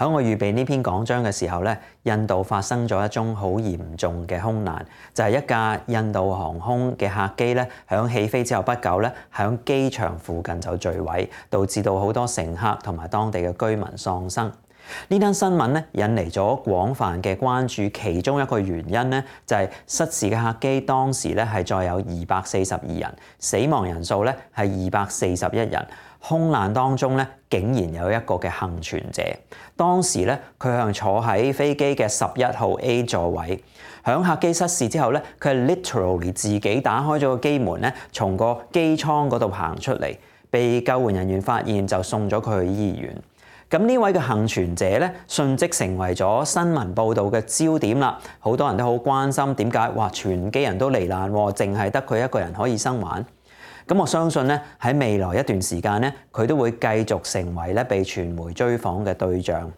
喺我預備呢篇講章嘅時候咧，印度發生咗一宗好嚴重嘅空難，就係一架印度航空嘅客機咧，響起飛之後不久咧，響機場附近就墜毀，導致到好多乘客同埋當地嘅居民喪生。呢單新聞咧引嚟咗廣泛嘅關注，其中一個原因咧就係失事嘅客機當時咧係載有242人，死亡人數咧係241人。空難當中咧，竟然有一個嘅幸存者。當時咧，佢係坐喺飛機嘅11號 A 座位。響客機失事之後咧，佢係 literally 自己打開咗個機門咧，從個機艙嗰度行出嚟，被救援人員發現就送咗佢去醫院。咁呢位嘅幸存者咧，迅即成為咗新聞報導嘅焦點啦。好多人都好關心點解全機人都罹難，淨係得佢一個人可以生還。咁我相信咧，喺未來一段時間咧，佢都會繼續成為咧被傳媒追訪嘅對象。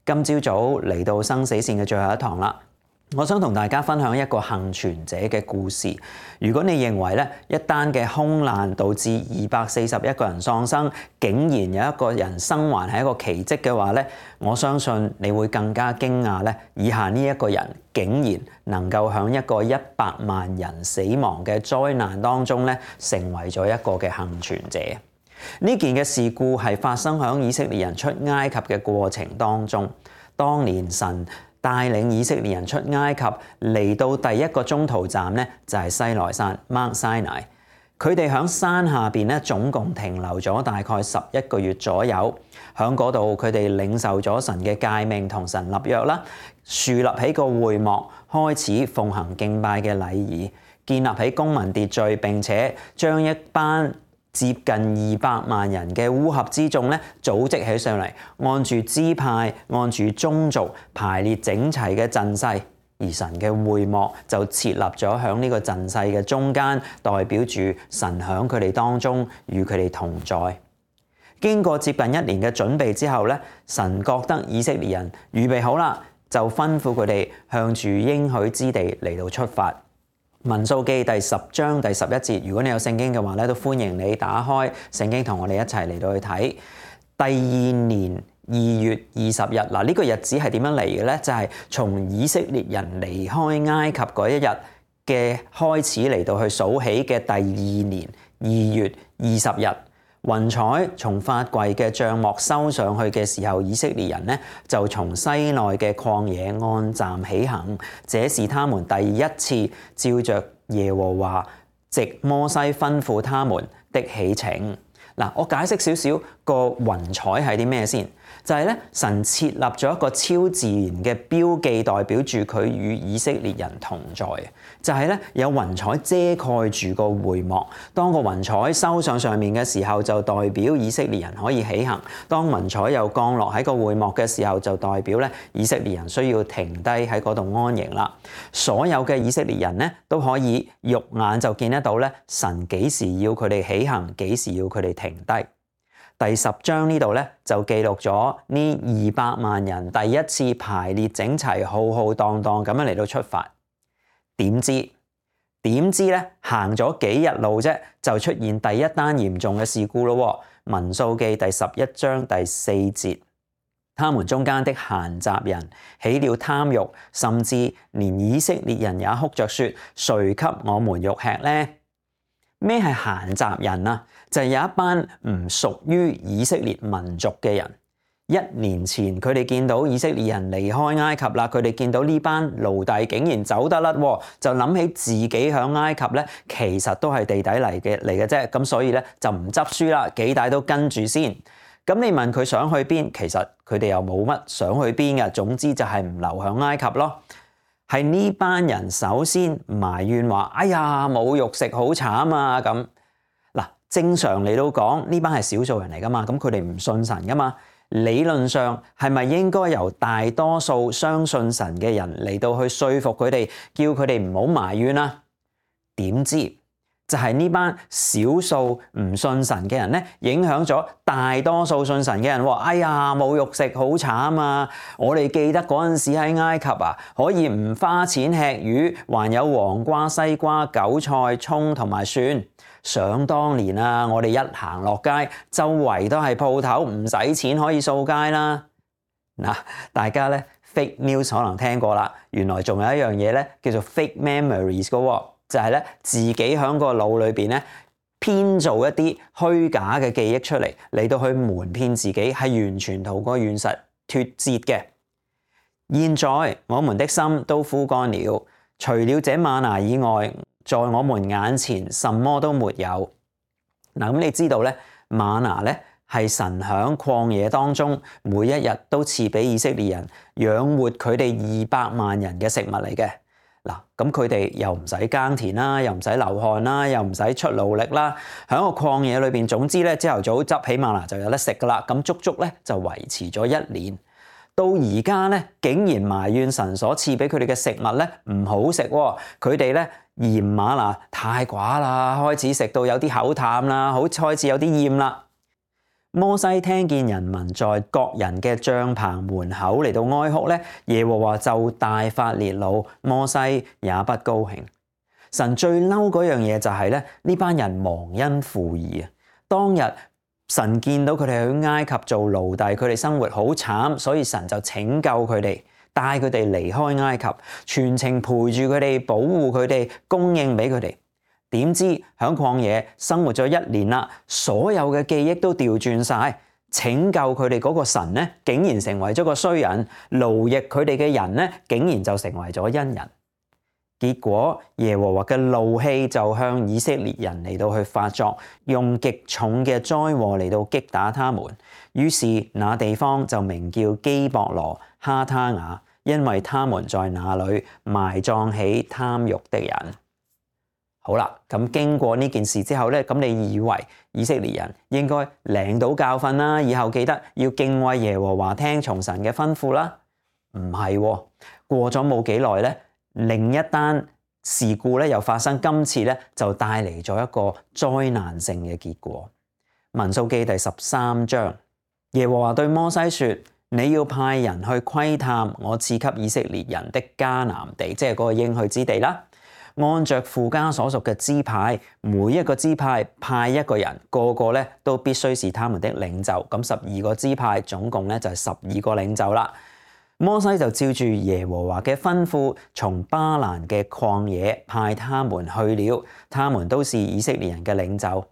今朝早嚟到生死線嘅最後一堂啦，我想同大家分享一個幸存者嘅故事。如果你認為咧一單嘅空難導致241個人喪生，竟然有一個人生還係一個奇蹟嘅話咧，我相信你會更加驚訝咧，以下呢一個人竟然能夠喺一個100萬人死亡嘅災難當中咧，成為咗一個嘅幸存者。呢件嘅事故係發生喺以色列人出埃及嘅過程當中。當年神帶領以色列人出埃及，嚟到第一個中途站咧，就係西奈山 Mount Sinai。佢哋喺山下邊咧，總共停留咗大概11個月左右。喺嗰度，佢哋領受咗神嘅誡命，同神立約啦，樹立起個會幕，開始奉行敬拜嘅禮儀，建立起公民秩序，並且將一班接近200萬人嘅烏合之眾咧，組織起上嚟，按住支派、按住宗族排列整齊嘅陣勢，而神嘅會幕就設立咗喺呢個陣勢嘅中間，代表住神喺佢哋當中與佢哋同在。經過接近1年嘅準備之後咧，神覺得以色列人預備好啦，就吩咐佢哋向住應許之地嚟到出發。民數記第10章第11節，如果你有聖經嘅話咧，都歡迎你打開聖經同我哋一齊嚟到去睇。第2年2月20日，嗱，呢個日子係點樣嚟嘅咧？就係從以色列人離開埃及嗰一日嘅開始嚟到去數起嘅第2年2月20日。雲彩從發櫃嘅帳幕收上去嘅時候，以色列人呢就從西奈嘅曠野按站起行，這是他們第一次照着耶和華藉摩西吩咐他們的起程。嗱，我解釋少少個雲彩係啲咩先，就係咧神設立咗一個超自然嘅標記，代表住佢與以色列人同在。就係咧有雲彩遮蓋住個會幕，當個雲彩收上面嘅時候，就代表以色列人可以起行；當雲彩又降落喺個會幕嘅時候，就代表咧以色列人需要停低喺嗰度安營啦。所有嘅以色列人咧都可以肉眼就見得到咧，神幾時要佢哋起行，幾時要佢哋停低。第10章呢度咧就記錄咗呢200萬人第一次排列整齊、浩浩蕩蕩咁樣嚟到出發。點知咧行咗幾日路啫，就出現第一單嚴重嘅事故咯。民數記第11章第4節，他們中間的閒雜人起了貪慾，甚至連以色列人也哭着說：誰給我們肉吃呢？咩係閒雜人啊？就係有一班唔屬於以色列民族嘅人。1年前佢哋見到以色列人離開埃及啦，佢哋見到呢班奴隸竟然走得甩，就諗起自己響埃及咧，其實都係地底嚟嘅啫，咁所以咧就唔執輸啦，幾大都跟住先。咁你問佢想去邊，其實佢哋又冇乜想去邊嘅，總之就係唔留響埃及咯。係呢班人首先埋怨話：哎呀，冇肉食好慘啊！咁嗱，正常嚟到講，呢班係少數人嚟噶嘛，咁佢哋唔信神噶嘛。理論上係咪應該由大多數相信神嘅人嚟到去說服佢哋，叫佢哋唔好埋怨啊？點知就係呢班少數唔信神嘅人咧，影響咗大多數信神嘅人。哎呀，冇肉食好慘啊！我哋記得嗰陣時喺埃及啊，可以唔花錢吃魚，還有黃瓜、西瓜、韭菜、蔥同埋蒜。想當年啊，我哋一行落街，周圍都係鋪頭，唔使錢可以掃街啦。嗱，大家咧 fake news 可能聽過啦，原來仲有一樣嘢咧叫做 fake memories 嘅喎，就係咧自己喺個腦裏邊咧編造一啲虛假嘅記憶出嚟到去瞞騙自己，係完全同個現實脫節嘅。現在我們的心都枯乾了，除了這嗎哪以外，在我們眼前什麼都沒有。嗱，咁你知道咧，嗎哪咧係神喺曠野當中每一日都賜俾以色列人養活佢哋200萬人嘅食物嚟嘅。嗱，咁佢哋又唔使耕田啦，又唔使流汗啦，又唔使出勞力啦，喺個曠野裏邊，總之咧朝頭早執起嗎哪就有得食噶啦。咁足足咧就維持咗1年。到而家咧，竟然埋怨神所賜俾佢哋嘅食物咧唔好食喎，佢哋咧嫌嗎哪太寡啦，開始食到有啲口淡啦，開始有啲厭啦。摩西聽見人民在各人嘅帳棚門口嚟到哀哭咧，耶和華就大發烈怒，摩西也不高興。神最嬲嗰樣嘢就係咧呢班人忘恩負義啊！當日神見到佢哋去埃及做奴隸，佢哋生活好慘，所以神就拯救佢哋，帶佢哋離開埃及，全程陪住佢哋，保護佢哋，供應俾佢哋。點知響曠野生活咗1年啦，所有嘅記憶都調轉晒，拯救佢哋嗰個神咧，竟然成為咗個衰人，奴役佢哋嘅人咧，竟然就成為咗恩人。結果耶和華嘅怒氣就向以色列人嚟到去發作，用極重嘅災禍嚟到擊打他們。於是那地方就名叫基博羅哈他雅，因為他們在那裏埋葬起貪慾的人。好啦，咁經過呢件事之後咧，咁你以為以色列人應該領到教訓啦，以後記得要敬畏耶和華，聽從神嘅吩咐啦？唔係喎，過咗冇幾耐咧，另一單事故咧又發生，今次咧就帶嚟咗一個災難性嘅結果。民數記第13章，耶和華對摩西說：你要派人去窺探我賜給以色列人的迦南地，即係嗰個應許之地啦。按着父家所屬嘅支派，每一個支派派一個人，個個咧都必須是他們的領袖。咁12個支派總共咧就係12個領袖啦。摩西就照住耶和華嘅吩咐，從巴蘭嘅曠野派他們去了，他們都是以色列人嘅領袖。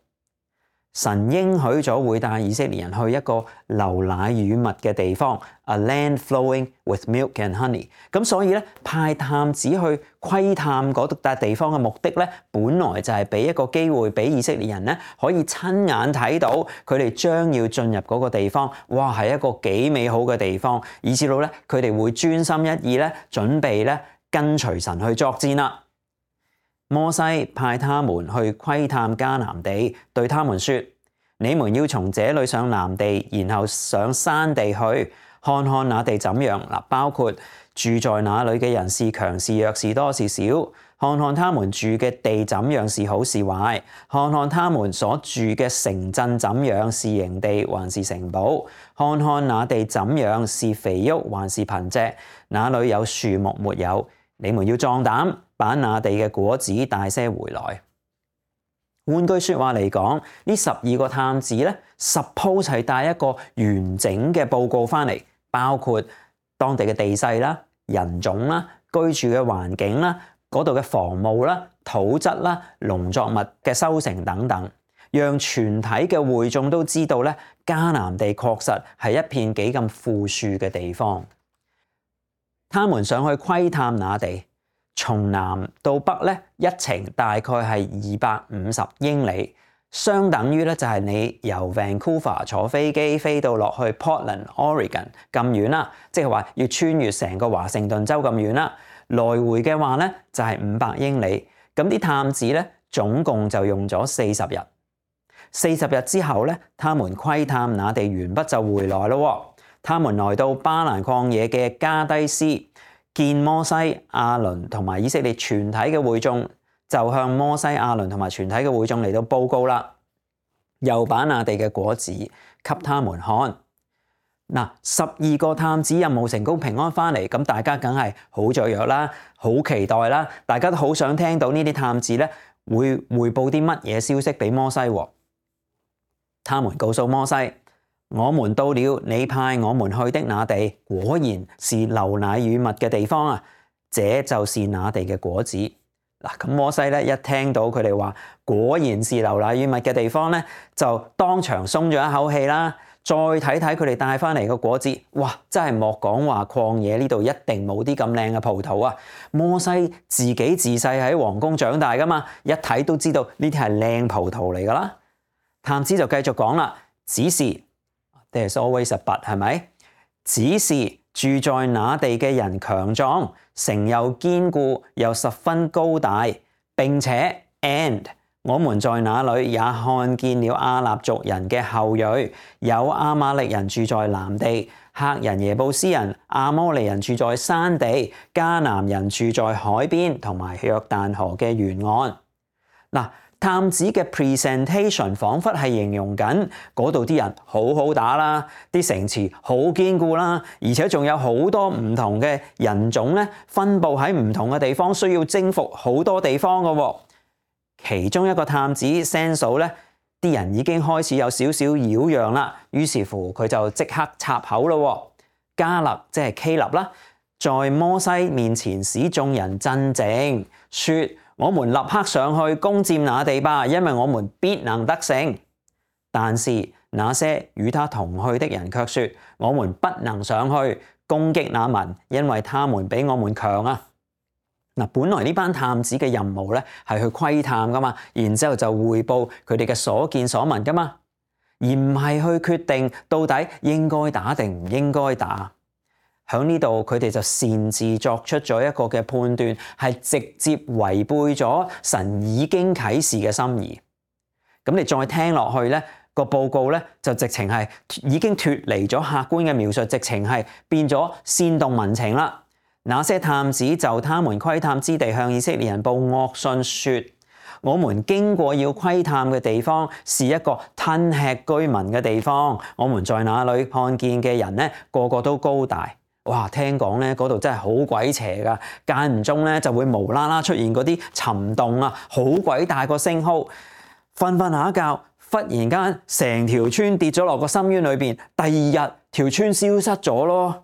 神應許咗會帶以色列人去一個流奶與蜜嘅地方 ，a land flowing with milk and honey。咁所以咧派探子去窺探嗰笪地方嘅目的咧，本來就係俾一個機會俾以色列人咧可以親眼睇到佢哋將要進入嗰個地方，哇係一個幾美好嘅地方，以至到咧佢哋會專心一意咧準備咧跟隨神去作戰啦。摩西派他們去窺探迦南地，對他們說：你們要從這裏上南地，然後上山地去，看看那地怎樣。包括住在那裏嘅人是強是弱，是多是少，看看他們住嘅地怎樣，是好是壞，看看他們所住嘅城鎮怎樣，是營地還是城堡，看看那地怎樣，是肥沃還是貧瘠，那裏有樹木沒有。你們要壯膽，把那地嘅果子帶些回來。換句說話嚟講，呢12個探子咧 suppose 係帶一個完整嘅報告翻嚟，包括當地嘅地勢啦、人種啦、居住嘅環境啦、嗰度嘅房務啦、土質啦、農作物嘅收成等等，讓全體嘅會眾都知道咧，迦南地確實係一片幾咁富庶嘅地方。他們上去窺探那地，從南到北咧一程大概係250英里，相等於咧就係你由 Vancouver 坐飛機飛到落去 Portland、Oregon 咁遠啦，即係話要穿越成個華盛頓州咁遠啦。來回嘅話咧就係500英里。咁啲探子咧總共就用咗40日。40日之後咧，他們窺探那地完畢就回來咯。他們來到巴蘭曠野嘅加低斯，見摩西、亞倫同埋以色列全體嘅會眾，就向摩西、亞倫同埋全體嘅會眾嚟到報告啦。又把那地嘅果子給他們看。12個探子任務成功平安翻嚟，咁大家梗係好雀躍啦，好期待啦，大家都好想聽到呢啲探子咧會匯報啲乜嘢消息俾摩西。他們告訴摩西：我們到了你派我們去的那地，果然是流奶與蜜嘅地方啊！這就是那地嘅果子。嗱，咁摩西咧一聽到佢哋話果然是流奶與蜜嘅地方咧，就當場鬆咗一口氣啦。再睇睇佢哋帶翻嚟嘅果子，哇！真係莫講話曠野呢度一定冇啲咁靚嘅葡萄啊！摩西自己自細喺皇宮長大噶嘛，一睇都知道呢啲係靚葡萄嚟噶啦。探子就繼續講啦，只是 There's always a but， 係咪？只是住在那地嘅人強壯，城又堅固又十分高大，並且 and 我們在那裡也看見了亞納族人嘅後裔，有亞瑪力人住在南地，赫人耶布斯人、亞摩利人住在山地，迦南人住在海邊同埋約旦河嘅沿岸。嗱，探子嘅 presentation 彷彿係形容緊嗰度啲人好好打啦，啲城池好堅固啦，而且仲有好多唔同嘅人種咧，分佈喺唔同嘅地方，需要征服好多地方嘅喎。其中一個探子 sense 咧，啲人已經開始有少少擾攘啦，於是乎佢就即刻插口咯。迦勒即係希勒啦，在摩西面前使眾人鎮靜，說：我們立刻上去攻佔那地吧，因為我們必能得勝。但是那些與他同去的人卻說：我們不能上去攻擊那民，因為他們比我們強啊！嗱，本來呢班探子嘅任務咧係去窺探噶嘛，然之後就彙報佢哋嘅所見所聞噶嘛，而唔係去決定到底應該打定唔應該打。喺呢度佢哋就擅自作出咗一個嘅判斷，係直接違背咗神已經啟示嘅心意。咁你再聽落去咧，個報告咧就直情係已經脫離咗客觀嘅描述，直情係變咗煽動民情啦。那些探子就他們窺探之地向以色列人報惡訊說：我們經過要窺探嘅地方是一個吞吃居民嘅地方，我們在那裡看見嘅人咧個個都高大。哇！聽講咧嗰度真係好鬼邪噶，間唔中咧就會無啦啦出現嗰啲沉洞啊，好鬼大個星號。瞓瞓下一覺，忽然間成條村跌咗落個深淵裏邊，第二日條村消失咗咯。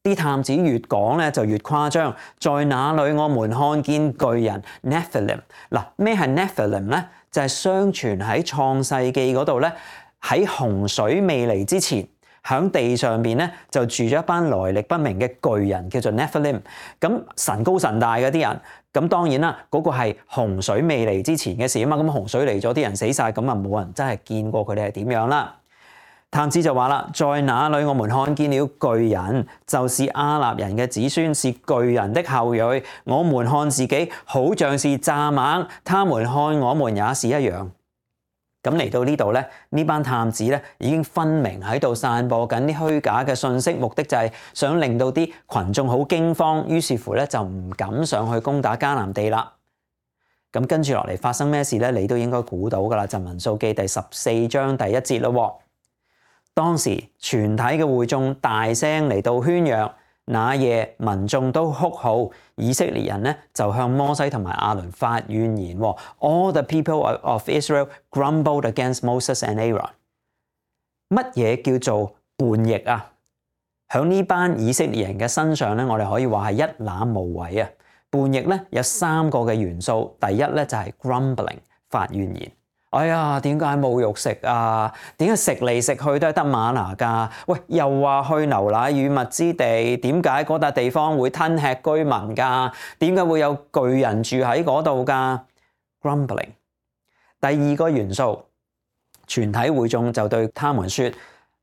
啲探子越講咧就越誇張，在那裡我們看見巨人 Nephilim。嗱，咩係 Nephilim 咧？就係相傳喺創世記嗰度咧，喺洪水未嚟之前，喺地上邊咧就住咗一班來歷不明嘅巨人，叫做 Nephilim。咁神高神大嗰啲人，咁當然啦，嗰個係洪水未嚟之前嘅事啊嘛。咁洪水嚟咗，啲人死晒，咁啊冇人真係見過佢哋係點樣啦。探子就話啦，在那裡我們看見了巨人，就是亞納人嘅子孫，是巨人的後裔。我們看自己好像是蚱蜢，他們看我們也是一樣。咁嚟到呢度咧，呢班探子咧已經分明喺度散播緊啲虛假嘅信息，目的就係想令到啲群眾好驚慌，於是乎咧就唔敢上去攻打迦南地啦。咁跟住落嚟發生咩事咧？你都應該估到噶啦，就民數記第14章第1節咯。當時全體嘅會眾大聲嚟到喧嚷，那夜民眾都哭號，以色列人咧就向摩西同埋亞倫發怨言。All the people of Israel grumbled against Moses and Aaron。乜嘢叫做叛逆啊？喺呢班以色列人嘅身上咧，我哋可以話係一覽無遺啊！叛逆咧有3個嘅元素，第一咧就係 grumbling， 發怨言。哎呀，點解冇肉食啊？點解食嚟食去都係得嗎哪㗎？喂，又話去流奶與蜜之地，點解嗰笪地方會吞吃居民㗎？點解會有巨人住喺嗰度㗎 ？Grumbling。第二個元素，全體會眾就對他們說：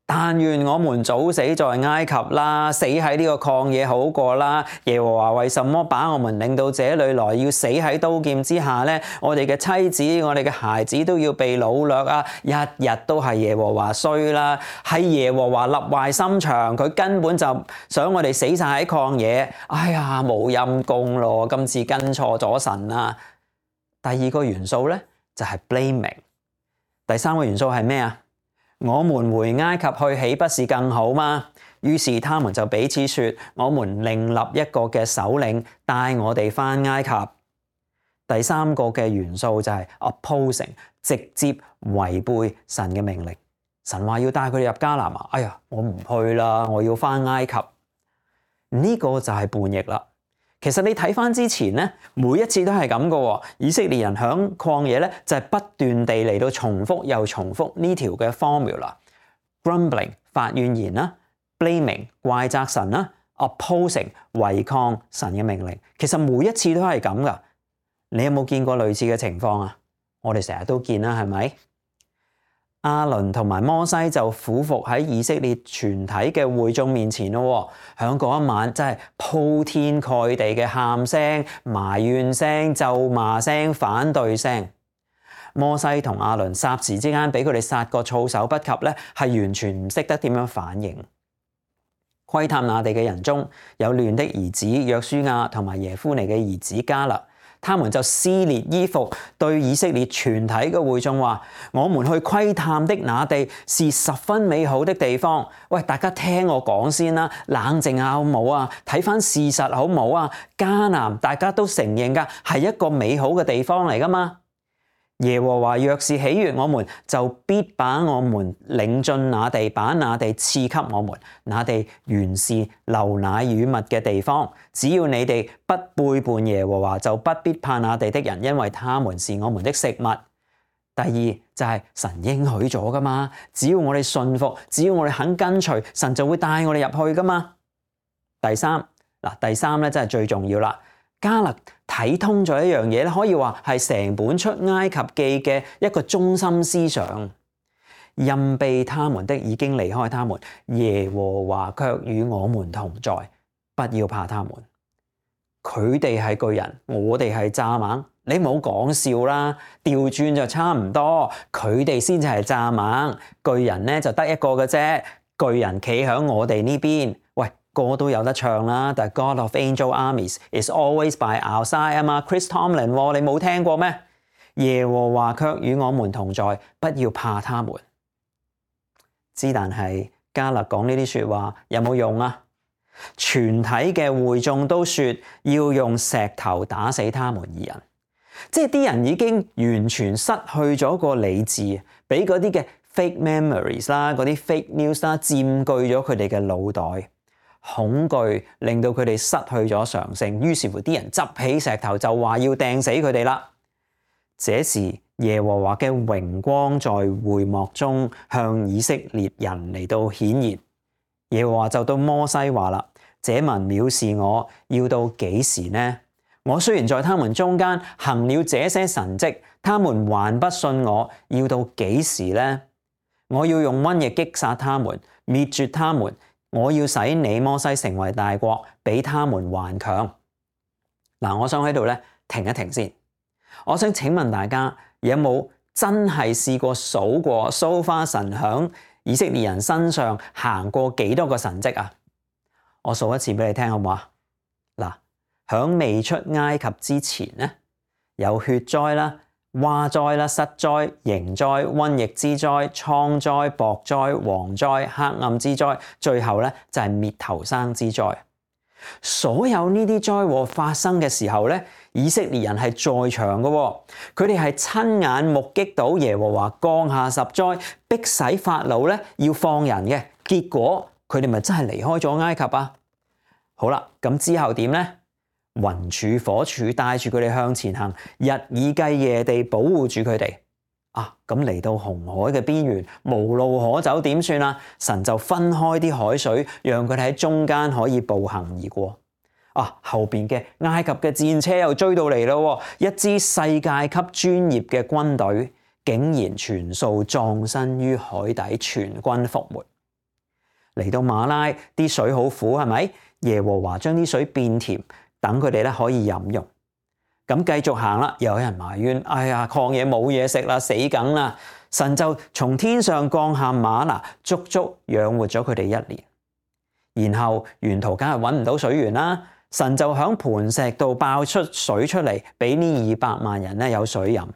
但願我們早死在埃及啦，死喺呢個曠野好過啦。耶和華為什麼把我們領到這裏來，要死喺刀劍之下呢？我哋嘅妻子、我哋嘅孩子都要被擄掠啊！日日都係耶和華衰啦，係耶和華立壞心腸，佢根本就想我哋死晒喺曠野。哎呀，冇陰功咯，今次跟錯咗神啦。第二個元素咧就係 blaming。第三個元素係咩啊？我們回埃及去，豈不是更好嗎？於是他們就彼此說：我們另立一個嘅首領，帶我哋返埃及。第三個嘅元素就係 opposing， 直接違背神嘅命令。神話要帶佢哋入迦南啊，哎呀，我唔去啦，我要返埃及。呢個就係叛逆啦。其實你睇返之前咧，每一次都係咁嘅。以色列人響曠野咧，就係不斷地嚟到重複又重複呢條嘅 formula。grumbling 發怨言啦，blaming 怪責神啦，opposing 違抗神嘅命令。其實每一次都係咁噶。你有冇見過類似嘅情況啊？我哋成日都見啦，係咪？亞倫同埋摩西就俯伏喺以色列全體嘅會眾面前咯，響嗰一晚真係鋪天蓋地嘅喊聲、埋怨聲、咒罵聲、反對聲。摩西同亞倫霎時之間俾佢哋殺個措手不及咧，係完全唔識得點樣反應。窺探那地嘅人中有亂的兒子約書亞同埋耶夫尼嘅兒子迦勒。他們就撕裂衣服，對以色列全體嘅會眾話：我們去窺探的那地是十分美好的地方。喂，大家聽我講先啦，冷靜下好唔好啊？睇返事實好唔好啊？迦南大家都承認㗎，係一個美好嘅地方嚟㗎嘛。耶和華若是喜悅我們，就必把我們領進那地，把那地賜給我們。那地原是流奶與蜜嘅地方。只要你哋不背叛耶和華，就不必怕那地的人，因為他們是我們的食物。第二就係神應許咗噶嘛，只要我哋信服，只要我哋肯跟隨，神就會帶我哋入去噶嘛。第三咧真係最重要啦。迦勒睇通咗一樣嘢咧，可以話係成本出埃及記嘅一個中心思想。蔭庇他們的已經離開他們，耶和華卻與我們同在，不要怕他們。佢哋係巨人，我哋係蚱蜢，你唔好講笑啦，調轉就差唔多，佢哋先至係蚱蜢，巨人咧就得一個嘅啫，巨人企喺我哋呢邊。喂，歌都有得唱啦，但係 God of Angel Armies is always by our side 啊嘛 ，Chris Tomlin 你冇聽過咩？耶和華卻與我們同在，不要怕他們。但係迦勒講呢啲說話有冇用啊？全體嘅會眾都說要用石頭打死他們二人，即係啲人已經完全失去咗個理智，俾嗰啲嘅 fake memories 啦，嗰啲 fake news 啦，佔據咗佢哋嘅腦袋。恐懼令到佢哋失去咗常性，於是乎啲人執起石頭就話要掟死佢哋啦。這時耶和華嘅榮光在會幕中向以色列人嚟到顯現。耶和華就對摩西話啦：這民藐視我，要到幾時呢？我雖然在他們中間行了這些神蹟，他們還不信我，要到幾時呢？我要用瘟疫擊殺他們，滅絕他們。我要使你摩西成為大國，比他們還強。嗱，我想喺度咧停一停先。我想請問大家，有冇真係試過數過so far神響以色列人身上行過幾多個神蹟啊？我數一次俾你聽好唔好啊？嗱，響未出埃及之前咧，有血災啦、蛙災啦、虱災、蠅災、瘟疫之災、瘡災、雹災、蝗災、黑暗之災，最後咧就係滅頭生之災。所有呢啲災禍發生嘅時候咧，以色列人係在場嘅，佢哋係親眼目擊到耶和華降下十災，逼使法老咧要放人嘅，結果佢哋咪真係離開咗埃及啊？好啦，咁之後點咧？雲柱火柱帶住佢哋向前行，日以繼夜地保護住佢哋。咁嚟到紅海嘅邊緣，無路可走，點算啊？神就分開啲海水，讓佢哋喺中間可以步行而過。後邊嘅埃及嘅戰車又追到嚟咯，一支世界級專業嘅軍隊，竟然全數葬身於海底，全軍覆沒。嚟到馬拉，啲水好苦，係咪？耶和華將啲水變甜，等佢哋咧可以飲用。咁繼續行啦，又有人埋怨：哎呀，曠野冇嘢食啦，死梗啦！神就從天上降下嗎哪，足足養活咗佢哋1年。然後沿途梗係揾唔到水源啦，神就響磐石度爆出水出嚟，俾呢200萬人咧有水飲。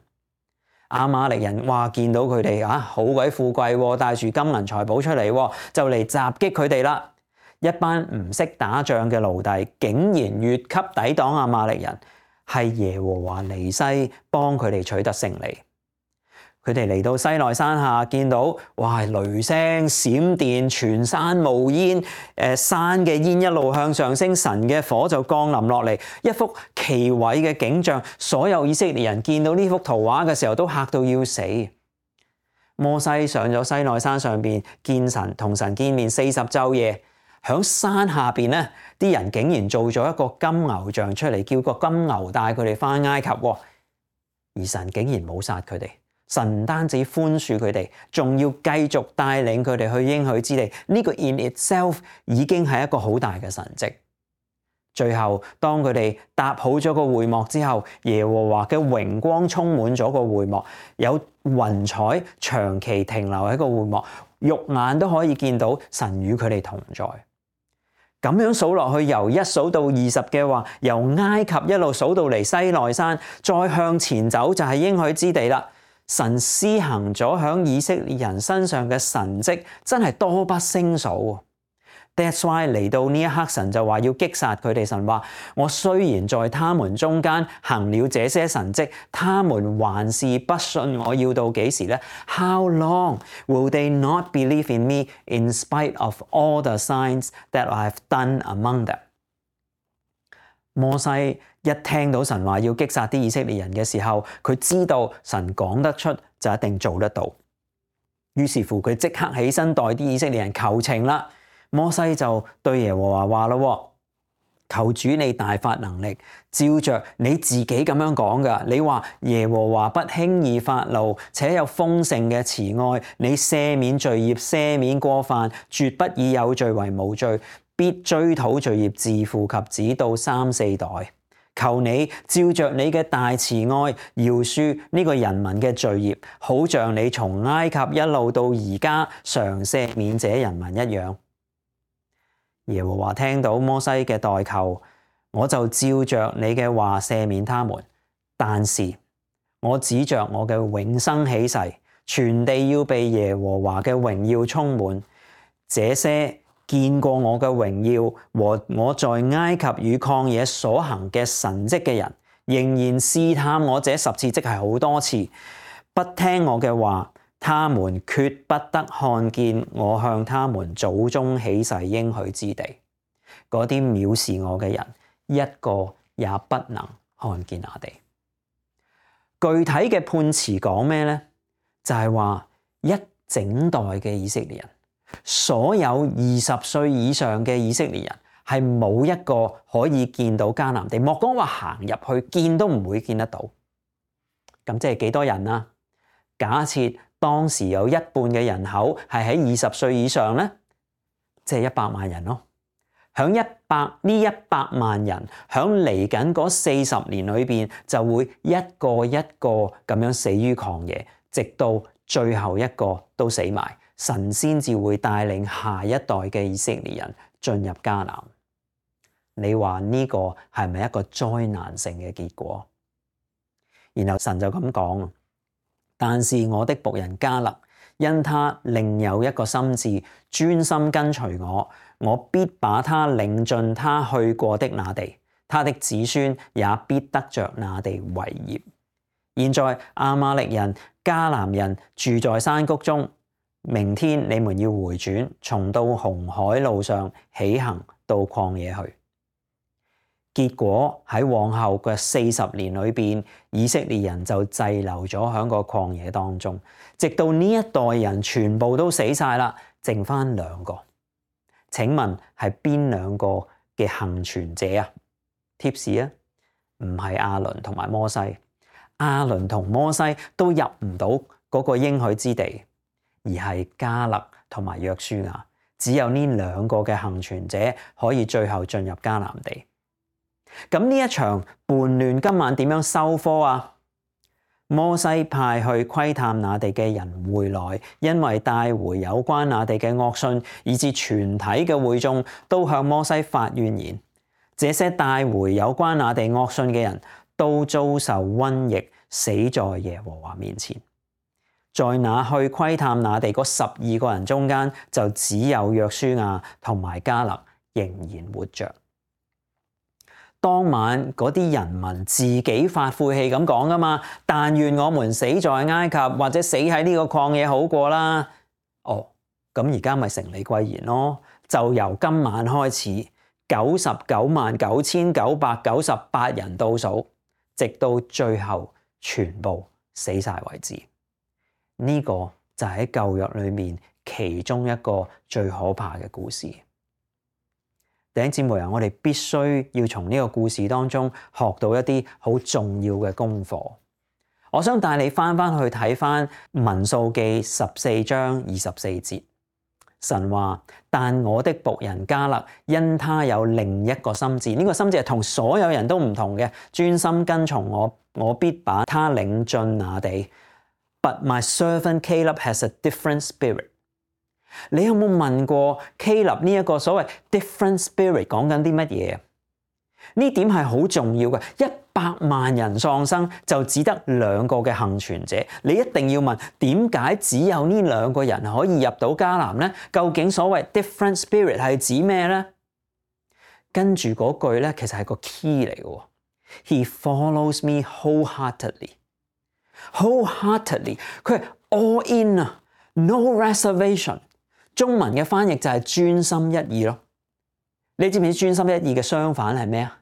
亞瑪力人見到佢哋好鬼富貴，帶住金銀財寶出嚟，就嚟襲擊佢哋啦。一班唔識打仗嘅奴隸，竟然越級抵擋亞瑪力人。係耶和華尼西幫佢哋取得勝利。佢哋嚟到西奈山下，見到哇雷聲閃電，全山冒煙，山嘅煙一路向上升，神嘅火就降臨落嚟，一幅奇偉嘅景象。所有以色列人見到呢幅圖畫嘅時候，都嚇到要死。摩西上咗西奈山上邊見神，同神見面40晝夜。響山下邊咧，啲人竟然做咗一個金牛像出嚟，叫個金牛帶佢哋返埃及。而神竟然冇殺佢哋，神唔單止寬恕佢哋，仲要繼續帶領佢哋去應許之地。呢個 in itself 已經係一個好大嘅神蹟。最後，當佢哋搭好咗個會幕之後，耶和華嘅榮光充滿咗個會幕，有雲彩長期停留喺個會幕，肉眼都可以見到神與佢哋同在。咁樣數落去，由1數到20嘅話，由埃及一路數到嚟西奈山，再向前走就係應許之地啦。神施行咗響以色列人身上嘅神蹟，真係多不勝數。That's why 嚟到呢一刻，神就話要擊殺佢哋。神話，我雖然在他們中間行了這些神蹟，他們還是不信我，要到幾時呢？ How long will they not believe in me in spite of all the signs that I have done among them？ 摩西一聽到神話要擊殺啲以色列人嘅時候，佢知道神講得出就一定做得到。於是乎佢即刻起身代啲以色列人求情啦。摩西就對耶和華話咯，求主你大發能力，照着你自己咁樣講噶。你話耶和華不輕易發怒，且有豐盛嘅慈愛，你赦免罪孽，赦免過犯，絕不以有罪為無罪，必追討罪孽自父及子到3、4代。求你照着你嘅大慈愛，饒恕呢個人民嘅罪孽，好像你從埃及一路到而家常赦免這人民一樣。耶和華聽到摩西嘅代求，我就照着你嘅話赦免他們，但是我指着我嘅永生起誓，全地要被耶和華嘅榮耀充滿。這些見過我嘅榮耀和我在埃及與曠野所行嘅神蹟嘅人，仍然試探我這10次，即係好多次，不聽我嘅話，他們決不得看見我向他們祖宗起誓應許之地。嗰啲藐視我嘅人，一個也不能看見那地。具體嘅判詞講咩呢？就係話一整代嘅以色列人，所有20歲以上嘅以色列人，係冇一個可以見到迦南地，莫講話行入去見都唔會見得到。咁即係幾多人啊？假設當時有一半嘅人口係喺20歲以上呢，即係100萬人咯。響呢100萬人響嚟緊嗰40年裏邊，就會一個一個咁樣死於曠野，直到最後一個都死埋，神先至會帶領下一代嘅以色列人進入迦南。你話呢個係咪一個災難性嘅結果？然後神就咁講。但是我的僕人迦勒，因他另有一個心志，專心跟隨我，我必把他領進他去過的那地，他的子孫也必得着那地為業。現在亞瑪力人、迦南人住在山谷中，明天你們要回轉，重到紅海路上起行到曠野去。結果喺往後嘅40年裏邊，以色列人就滯留咗喺個曠野當中，直到呢一代人全部都死晒啦，剩翻2個。請問係邊2個嘅幸存者啊？貼士啊，唔係亞倫同埋摩西，亞倫同摩西都入唔到嗰個應許之地，而係迦勒同埋約書亞，只有呢2個嘅幸存者可以最後進入迦南地。咁呢一場叛亂今晚點樣收科啊？摩西派去窺探那地嘅人回來，因為帶回有關那地嘅惡信，以致全體嘅會眾都向摩西發怨言。這些帶回有關那地惡信嘅人都遭受瘟疫，死在耶和華面前。在那去窺探那地嗰12個人中間，就只有約書亞同埋迦勒仍然活着。當晚嗰啲人民自己發晦氣咁講噶嘛，但願我們死在埃及或者死喺呢個曠野好過啦。哦，咁而家咪成理歸然咯，就由今晚開始，999998人倒數，直到最後全部死晒為止。呢個就係喺舊約裏面其中一個最可怕嘅故事。弟兄姊妹啊，我哋必須要從呢個故事當中學到一啲好重要嘅功課。我想帶你翻去睇翻民數記14章24節，神話：但我的僕人迦勒，因他有另一個心志，呢個心志係同所有人都唔同嘅，專心跟從我，我必把他領進那地。But my servant Caleb has a different spirit。你有冇問過 Caleb 呢一個所謂 different spirit 講緊啲乜嘢？呢點係好重要嘅。100萬人喪生就只得2個嘅幸存者，你一定要問點解只有呢2個人可以入到迦南呢？究竟所謂 different spirit 係指咩呢？跟住嗰句咧，其實係個 key 嚟嘅。He follows me wholeheartedly，佢係 all in 啊 ，no reservation。中文嘅翻譯就係專心一意咯。你知唔知專心一意嘅相反係咩啊？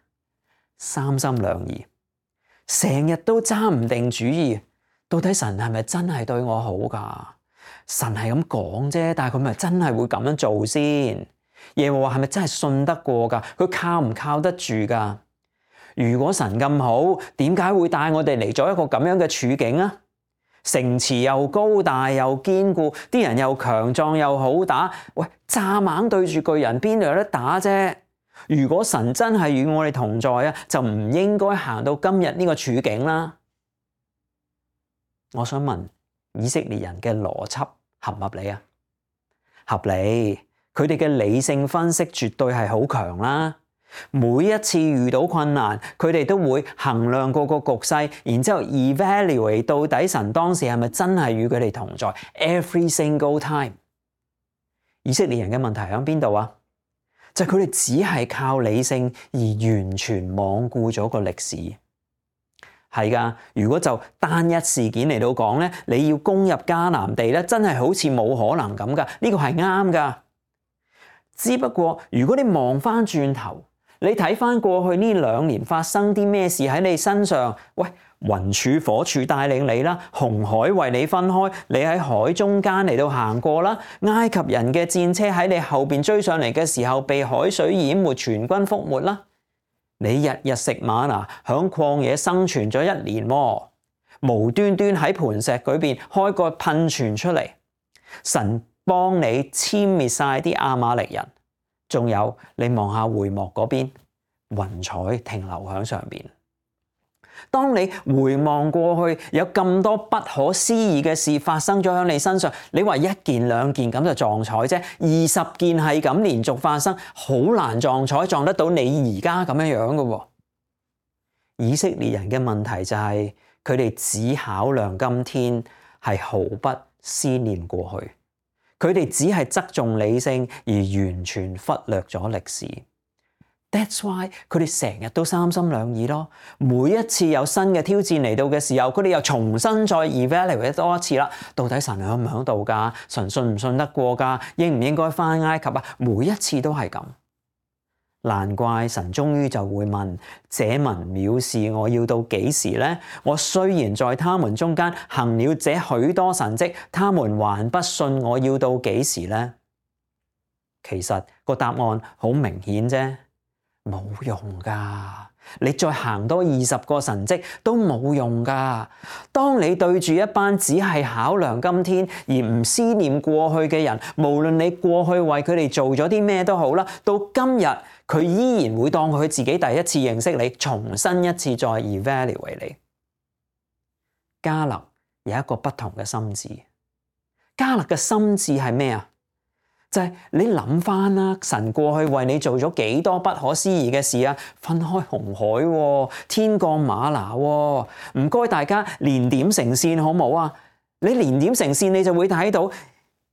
三心兩意，成日都揸唔定主意。到底神係咪真係對我好㗎？神係咁講啫，但係佢咪真係會咁樣做先？耶和華係咪真係信得過㗎？佢靠唔靠得住㗎？如果神咁好，點解會帶我哋嚟咗一個咁樣嘅處境啊？城池又高大又堅固，啲人又強壯又好打。喂，蚱蜢對住巨人邊度有得打啫？如果神真係與我哋同在啊，就唔應該行到今日呢個處境啦。我想問以色列人嘅邏輯合唔合理啊？合理，佢哋嘅理性分析絕對係好強啦。每一次遇到困難，佢哋都會衡量個局勢，然之後 evaluate 到底神當時係咪真係與佢哋同在 every single time。以色列人嘅問題喺邊度啊？就係佢哋只係靠理性而完全罔顧咗個歷史。係噶，如果就單一事件嚟到講咧，你要攻入迦南地咧，真係好似冇可能咁噶。呢個係啱噶。只不過如果你望翻轉頭，你睇翻過去呢2年發生啲咩事喺你身上？喂，雲柱火柱帶領你啦，紅海為你分開，你喺海中間嚟到行過啦。埃及人嘅戰車喺你後邊追上嚟嘅時候，被海水淹沒，全軍覆沒啦。你日日食瑪拿，響曠野生存咗1年，無端端喺磐石嗰邊開個噴泉出嚟，神幫你殲滅晒啲亞瑪力人。仲有，你望下會幕嗰邊，雲彩停留喺上邊。當你回望過去，有咁多不可思議嘅事發生咗喺你身上，你話1件2件咁就撞彩啫，20件係咁連續發生，好難撞彩撞得到你而家咁樣樣嘅。以色列人嘅問題就係佢哋只考量今天，係毫不思念過去。佢哋只係側重理性而完全忽略咗歷史。That's why 佢哋成日都三心兩意咯。每一次有新嘅挑戰嚟到嘅時候，佢哋又重新再 evaluate 多一次啦。到底神響唔響度㗎？神信唔信得過㗎？應唔應該返埃及啊？每一次都係咁。難怪神終於就會問：這民藐視我要到幾時呢？我雖然在他們中間行了這許多神蹟，他們還不信我要到幾時呢？其實個答案好明顯啫，冇用噶。你再行多20個神蹟都冇用噶。當你對住一班只係考量今天而唔思念過去嘅人，無論你過去為佢哋做咗啲咩都好啦，到今日佢依然會當佢自己第一次認識你，重新一次再 evaluate 你。迦勒有一個不同嘅心志。迦勒嘅心志係咩啊？就係你諗翻啦，神過去為你做咗幾多不可思議嘅事啊！分開紅海，天降嗎哪，唔該大家連點成線好冇啊？你連點成線，你就會睇到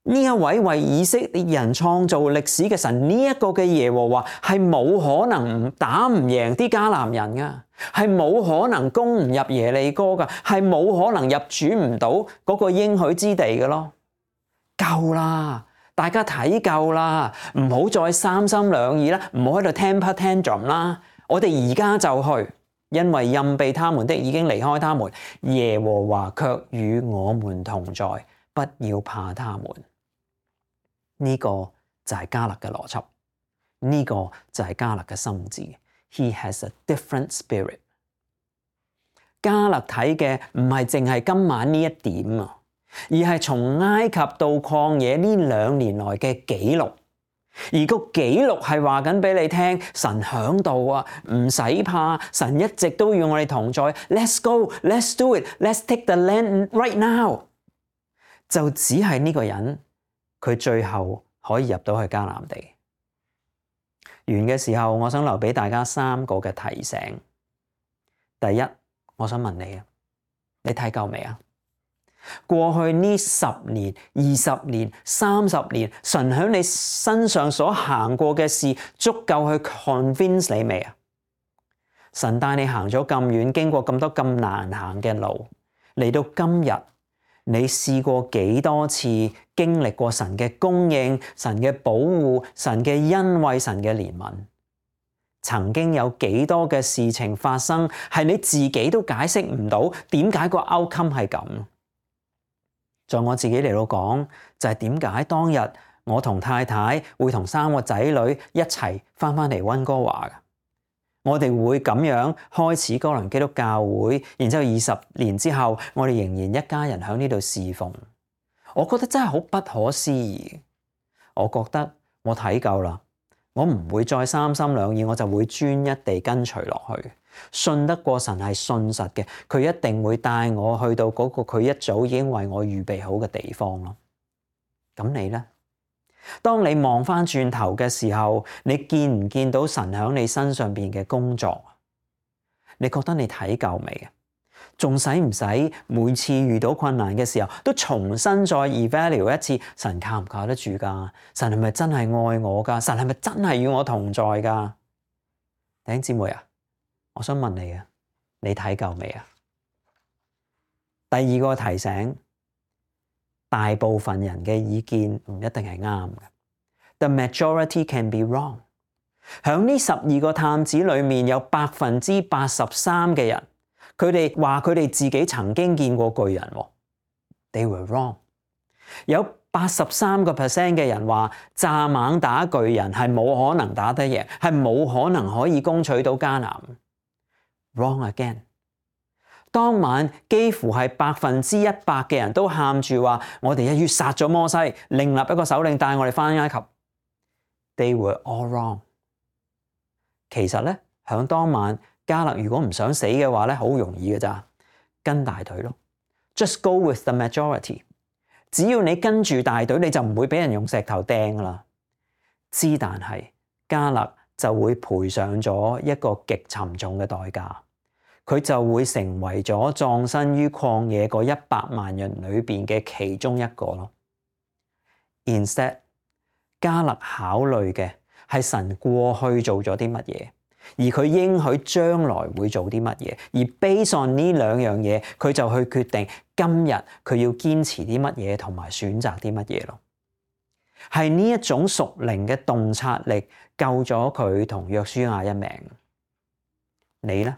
呢一位為以色列人創造歷史嘅神，呢一個嘅耶和華係冇可能打唔贏啲迦南人噶，係冇可能攻唔入耶利哥噶，係冇可能入主唔到嗰個應許之地嘅咯。夠啦，大家睇夠啦，唔好再三心兩意啦，唔好喺度 temper tantrum 啦。我哋而家就去，因為蔭庇他們的已經離開他們，耶和華卻與我們同在，不要怕他們。呢個就係迦勒嘅邏輯，呢個就係迦勒嘅心志。He has a different spirit。迦勒睇嘅唔係淨係今晚呢一點啊，而係從埃及到曠野呢2年來嘅記錄。而個記錄係話緊俾你聽，神響度啊，唔使怕，神一直都與我哋同在。Let's go, let's do it, let's take the land right now。就只係呢個人，佢最後可以入到去迦南地。完嘅時候，我想留俾大家3個嘅提醒。第一，我想問你啊，你睇夠未啊？過去呢10年、20年、30年，神喺你身上所行過嘅事，足夠去 convince 你未啊？神帶你行咗咁遠，經過咁多咁難行嘅路，嚟到今日，你試過幾多次經歷過神嘅供應、神嘅保護、神嘅恩惠、神嘅憐憫？曾經有幾多嘅事情發生，係你自己都解釋唔到，點解個 outcome 係咁？在我自己嚟到講，就係點解當日我同太太會同3個仔女一齊翻嚟溫哥華嘅。我哋會咁樣開始哥倫基督教會，然之後20年之後，我哋仍然一家人喺呢度侍奉。我覺得真係好不可思議。我覺得我睇夠啦，我唔會再三心兩意，我就會專一地跟隨落去。信得過神係信實嘅，佢一定會帶我去到嗰個佢一早已經為我預備好嘅地方咯。咁你呢？當你望翻轉頭嘅時候，你見唔見到神喺你身上邊嘅工作？你覺得你睇夠未啊？仲使唔使每次遇到困難嘅時候都重新再 evaluate 一次？神靠唔靠得住噶？神係咪真係愛我噶？神係咪真係與我同在噶？弟兄姊妹啊，我想問你啊，你睇夠未啊？第2個提醒，大部分人嘅意見唔一定係啱嘅。The majority can be wrong。響呢12個探子裏面，有83%嘅人，佢哋話佢哋自己曾經見過巨人。They were wrong。有83% 嘅人話蚱蜢打巨人係冇可能打得贏，係冇可能可以攻取到迦南。Wrong again。當晚幾乎係100%嘅人都喊住話：我哋一於殺咗摩西，另立一個首領帶我哋返埃及。They were all wrong。其實咧，響當晚迦勒如果唔想死嘅話咧，好容易嘅咋，跟大隊咯。Just go with the majority。只要你跟住大隊，你就唔會俾人用石頭掟噶啦。但係迦勒就會賠上咗一個極沉重嘅代價。佢就會成為咗葬身於曠野嗰100萬人裏邊嘅其中一個咯。Instead，迦勒考慮嘅係神過去做咗啲乜嘢，而佢應許將來會做啲乜嘢，而 based on 呢2樣嘢，佢就去決定今日佢要堅持啲乜嘢同埋選擇啲乜嘢咯。係呢一種屬靈嘅洞察力救咗佢同約書亞一命。你呢？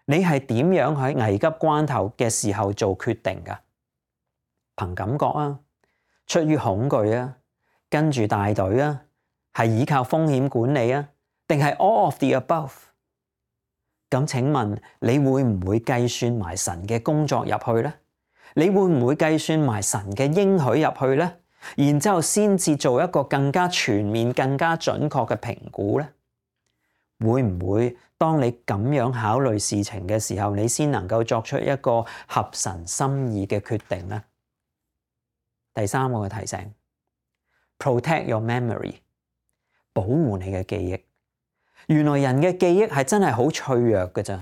你係點樣喺危急關頭嘅時候做決定㗎？憑感覺啊，出於恐懼啊，跟住大隊啊，係依靠風險管理啊，定係 all of the above？ 咁請問你會唔會計算埋神嘅工作入去呢？你會唔會計算埋神嘅應許入去呢？然之後先至做一個更加全面、更加準確嘅評估呢？會唔會當你咁樣考慮事情嘅時候，你先能夠作出一個合神心意嘅決定呢？第3個嘅提醒 ，protect your memory， 保護你嘅記憶。原來人嘅記憶係真係好脆弱嘅咋，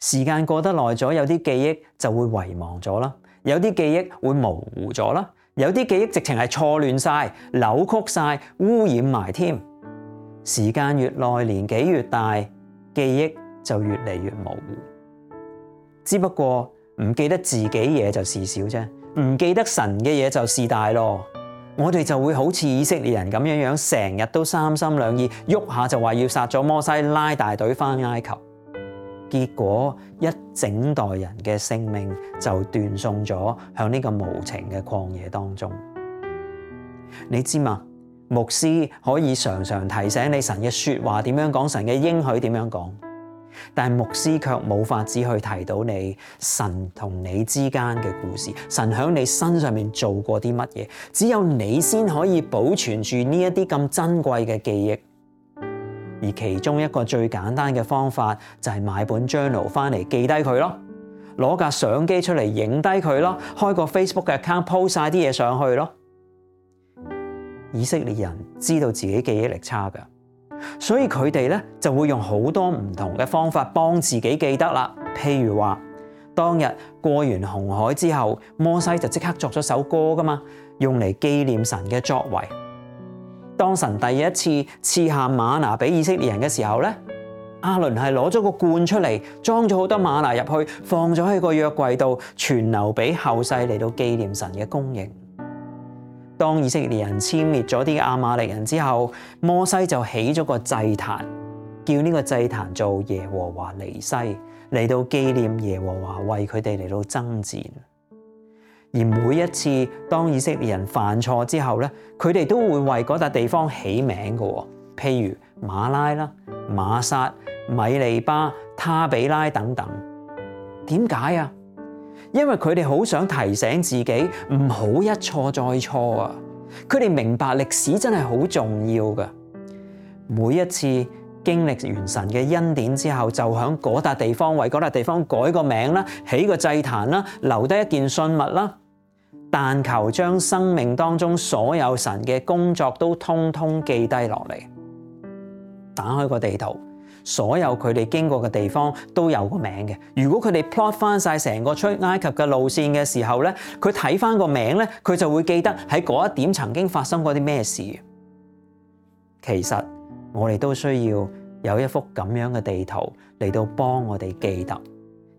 時間過得耐咗，有啲記憶就會遺忘咗啦，有啲記憶會模糊咗啦，有啲記憶直情係錯亂晒、扭曲晒、污染埋添。時間越耐，年紀越大，記憶就越嚟越模糊。只不過唔記得自己嘢就事小啫，唔記得神嘅嘢就事大咯。我哋就會好似以色列人咁樣，成日都三心兩意，喐下就話要殺咗摩西，拉大隊返埃及。結果一整代人嘅性命就斷送咗向呢個無情嘅曠野當中。你知嘛？牧師可以常常提醒你神嘅說話點樣講，神嘅應許點樣講，但牧師卻冇法子去提到你神同你之間嘅故事，神喺你身上面做過啲乜嘢，只有你先可以保存住呢一啲咁珍貴嘅記憶。而其中一個最簡單嘅方法就係買本 journal 翻嚟記低佢咯，攞架相機出嚟影低佢咯，開個 Facebook 嘅 account post 晒啲嘢上去咯。以色列人知道自己記憶力差㗎，所以佢哋咧就會用好多唔同嘅方法幫自己記得啦。譬如話，當日過完紅海之後，摩西就即刻作咗首歌㗎嘛，用嚟紀念神嘅作為。當神第一次賜下嗎哪俾以色列人嘅時候咧，亞倫係攞咗個罐出嚟，裝咗好多嗎哪入去，放咗喺個約櫃度，傳留俾後世嚟到紀念神嘅供應。當以色列人殲滅咗啲亞瑪力人之後，摩西就起咗個祭壇，叫呢個祭壇做耶和華尼西，嚟到紀念耶和華為佢哋嚟到爭戰。而每一次當以色列人犯錯之後咧，佢哋都會為嗰笪地方起名嘅，譬如馬拉啦、馬撒、米利巴、他比拉等等。點解啊？因為佢哋好想提醒自己唔好一錯再錯啊！佢哋明白歷史真係好重要㗎。每一次經歷完神嘅恩典之後，就喺嗰笪地方為嗰笪地方改個名啦，起個祭壇啦，留低一件信物啦。但求將生命當中所有神嘅工作都通通記低落嚟。打開個地圖，所有佢哋經過嘅地方都有個名嘅。如果佢哋 plot 翻晒成個出埃及嘅路線嘅時候咧，佢睇翻個名咧，佢就會記得喺嗰一點曾經發生過啲咩事。其實我哋都需要有一幅咁樣嘅地圖嚟到幫我哋記得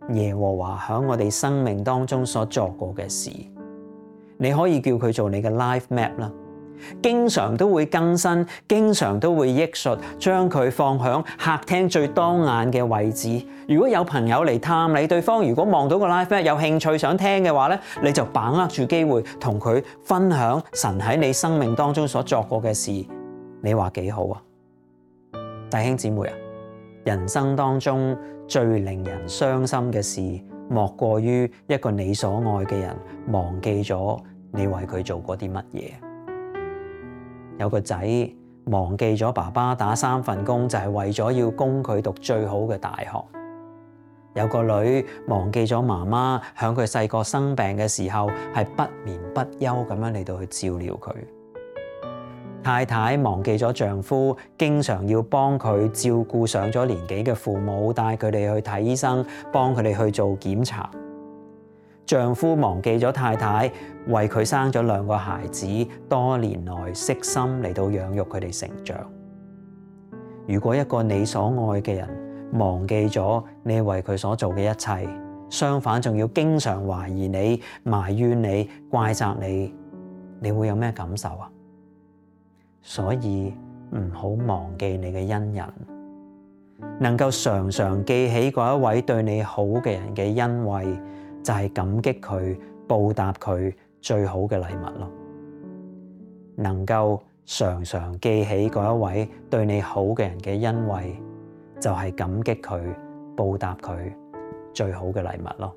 耶和華喺我哋生命當中所作過嘅事。你可以叫佢做你嘅 life map 啦，經常都會更新，經常都會憶述，將佢放響客廳最當眼嘅位置。如果有朋友嚟探你，對方如果望到個 life map 有興趣想聽嘅話咧，你就把握住機會同佢分享神喺你生命當中所作過嘅事。你話幾好啊？弟兄姊妹啊，人生當中最令人傷心嘅事，莫過於一個你所愛嘅人忘記咗你為佢做過啲乜嘢。有個仔忘記咗爸爸打3份工就係為咗要供佢讀最好嘅大學。有個女忘記咗媽媽響佢細個生病嘅時候係不眠不休咁樣嚟到去照料佢。太太忘記咗丈夫經常要幫佢照顧上咗年紀嘅父母，帶佢哋去睇醫生，幫佢哋去做檢查。丈夫忘記咗太太為佢生咗2個孩子，多年來悉心嚟到養育佢哋成長。如果一個你所愛嘅人忘記咗你為佢所做嘅一切，相反仲要經常懷疑你、埋怨你、怪責你，你會有咩感受啊？所以唔好忘記你嘅恩人，能夠常常記起嗰一位對你好嘅人嘅恩惠，就係感激佢、報答佢最好嘅禮物咯。能夠常常記起嗰一位對你好嘅人嘅恩惠，就係感激佢、報答佢最好嘅禮物咯。